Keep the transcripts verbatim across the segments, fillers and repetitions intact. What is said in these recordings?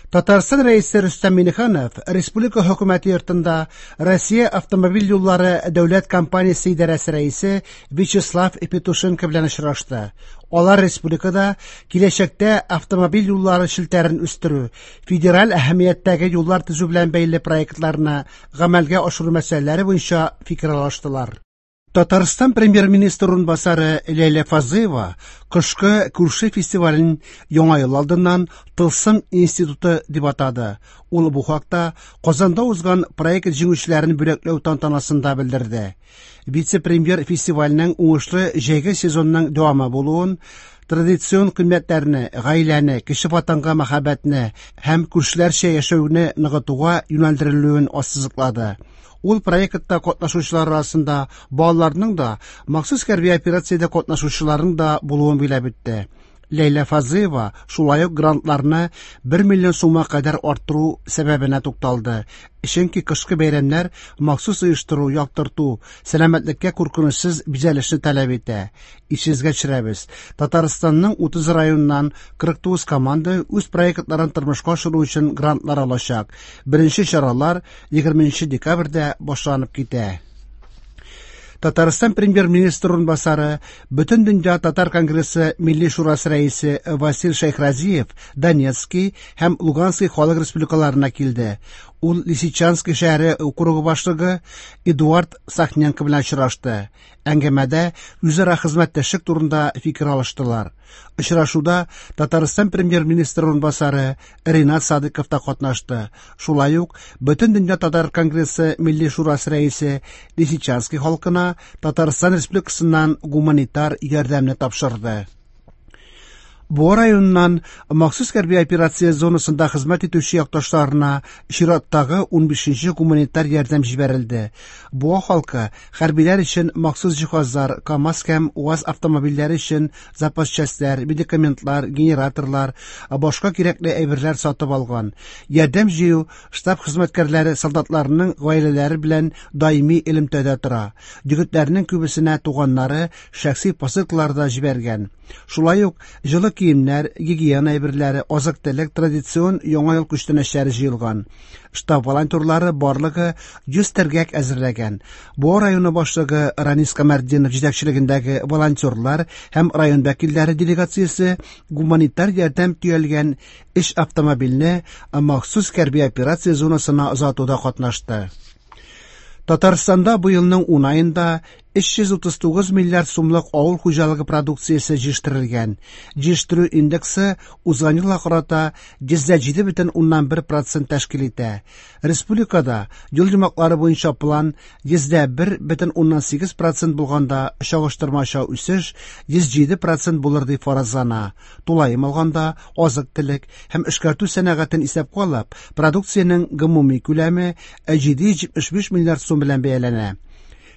Татарстан Рәисе Рөстәм Миңнеханов Республика Хөкүмәте йортында Россия автомобиль юллары дәүләт компаниясе идарәсе рәисе Вячеслав Петушенко белән очрашты. Алар республикада киләчәктә автомобиль юллары челтәрен үстерү, федераль әһәмияттәге юллар төзү белән бәйле проектларны гамәлгә ашыру мәсьәләләре буенча фикер алыштылар. Татарстан премьер-министры урынбасары Ләйлә Фазлыева кышкы күрше фестивален Яңа ел алдыннан Тылсым институты дип атады. Ул бу хакта Казанда узган проект җиңүчеләрен бүләкләү тантанасында белдерде. Вице-премьер фестивальнең уңышлы җәйге сезонның дәвамы булуын, традицион кыйммәтләрне, гаиләне, кече ватанга мәхәббәтне һәм күршеләрчә яшәүне ныгытуга юнәлдерелүен ассызыклады. Ул проектта катнашучылар арасында балаларның да, махсус хәрби операциядә катнашучыларның да булуын билгеләп үтте. Ләйлә Фазлыева шулай ук грантларны бер миллион сумга кадәр арттыру сәбәбенә тукталды. Чөнки кышкы бәйрәмнәр махсус оештыру, яктырту, сәламәтлеккә куркынычсыз бизәлешне таләп итә. Исегезгә төшерәбез, Татарстанның утыз районыннан кырык тугыз команда үз проектларын тормышка ашыру өчен грантлар алачак. Беренче чаралар егерменче декабрьдә башланып китә. Татарстан премьер-министры урынбасары, Бөтендөнья татар конгрессы Милли шурасы рәисе Васил Шәйхразиев Донецкий һәм Луганский халык республикаларына килде. Ул Лисичанский шәһәре округы башлыгы Эдуард Сахненко белән очрашты. Әңгәмәдә үзара хезмәттәшлек турында фикер алыштылар. Очрашуда Татарстан премьер-министры урынбасары Ринат Садыков та катнашты. Шулай ук Бөтендөнья татар конгрессы Милли шурасы рәисе Лисичанский халкына Татарстан Республикасыннан гуманитар ярдәмне тапшырды. Буа районыннан махсус хәрби операция зонасында хезмәт итүче якташларына чираттагы унбишенче гуманитар ярдәм җибәрелде. Буа халкы хәрбиләр өчен махсус җиһазлар, КАМАЗ һәм УАЗ автомобильләре өчен запас частьләр, медикаментлар, генераторлар, башка кирәкле әйберләр сатып алган. Ярдәм җыю штаб хезмәткәрләре солдатларның гаиләләре белән даими элемтәдә тора. Егетләрнең күбесенә туганнары шәхси посылкалар да җибәргән. Шулай ук җылы киемнәр, гигиена әйберләре, азык-төлек, традицион яңа ел күчтәнәчләре җыелган. Штаб волонтерлары барлыгы йөз төргәк әзерләгән. Буа районы башлыгы Ранис Камәртдинов җитәкчелегендәге волонтерлар һәм район вәкилләре делегациясе гуманитар ярдәм төялгән эш автомобильне махсус хәрби операция зонасына озатуда катнашты. Татарстанда бу елның ун аенда өч йөз утыз тугыз миллиард сумлык авыл хуҗалыгы продукциясе җитештерелгән. Җитештерү индексы узган елга карата йөз дә җиде бөтен уннан бер процент тәшкил итә. Республикада юл йомгаклары буенча план йөз дә бер бөтен уннан сигез процент булганда, чагыштырмача үсеш йөз җиде процент булыр дип фаразлана. Тулаем алганда, азык-төлек һәм эшкәртү сәнәгатен исәпкә алып, продукциянең гомуми күләме җиде йөз җитмеш биш миллиард сум белән бәяләнә.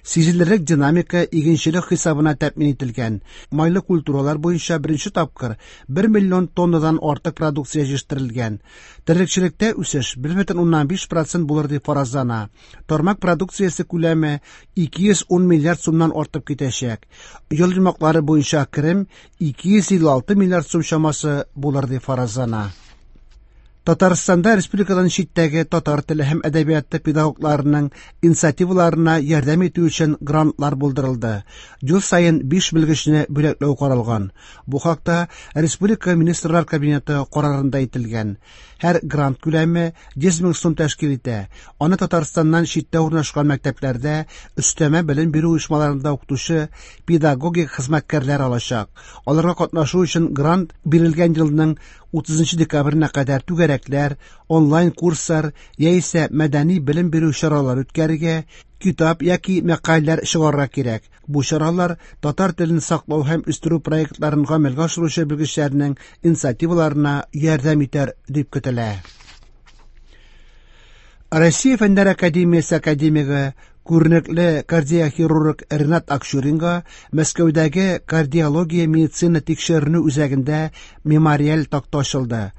Сизелерлек динамика игенчелек хисабына тәэмин ителгән. Майлы культуралар буенча беренче тапкыр бер миллион тоннадан артык продукция җитештерелгән. Терлекчелектә үсеш бер бөтен уннан биш процент булыр дип фаразлана. Тармак продукциясе күләме ике йөз ун миллиард сумнан артып китәчәк. Ел йомгаклары буенча керем ике йөз илле алты миллиард сум чамасы булыр дип фаразлана. Татарстанда республикадан читтәге татар теле һәм әдәбияты педагогларының инициативаларына ярдәм итү өчен грантлар булдырылды. Ел саен биш белгечне бүләкләү каралган. Бу хакта Республика Министрлар Кабинеты карарында әйтелгән. Һәр грант күләме йөз мең сум тәшкил итә. Аны Татарстаннан читтә урнашкан мәктәпләрдә өстәмә белем бирү оешмаларында укытучы педагогик хезмәткәрләр алачак. Аларга катнашу өчен грант бирелгән елның утызынчы декабренә кадәр түгәрәкләр, онлайн курслар яисә мәдәни белем бирү чаралары үткәрергә, китап яки мәкаләләр чыгарырга кирәк. Бу чаралар татар телен саклау һәм үстерү проектларын гамәлгә ашыручы белгечләрнең инициативаларына ярдәм итәр дип көтелә. Россия Фәннәр академиясе академигы, күренекле кардиохирург Ренат Акчуринга Мәскәүдәге кардиология медицина тикшеренү үзәгендә мемориаль такта ачылды.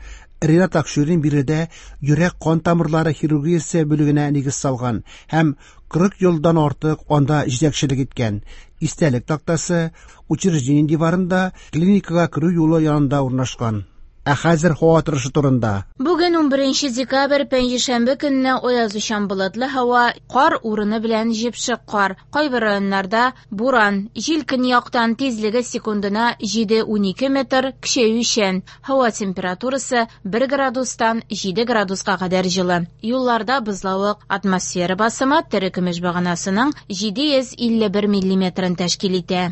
Ренат Акчурин биредә йөрәк кан тамырлары хирургиясе бүлегенә нигез салган һәм кырык елдан артык анда җитәкчелек иткән. Истәлек тактасы учреждение диварында клиникага керү юлы янында урнашкан. Ә хәзер һава торышы турында. Бүген унберенче декабрь, пәнҗешәмбе көнне аязучан болытлы һава, кар урыны белән җепшек кар. Кайбер районнарда буран, җил көньяктан, тизлеге секундына җиде-унике метр, көчәючән. Һава температурасы бер градустан җиде градуска кадәр җылы. Юлларда бозлавык, атмосфера басымы терекөмеш баганасының җиде йөз илле бер миллиметрын тәшкил итә.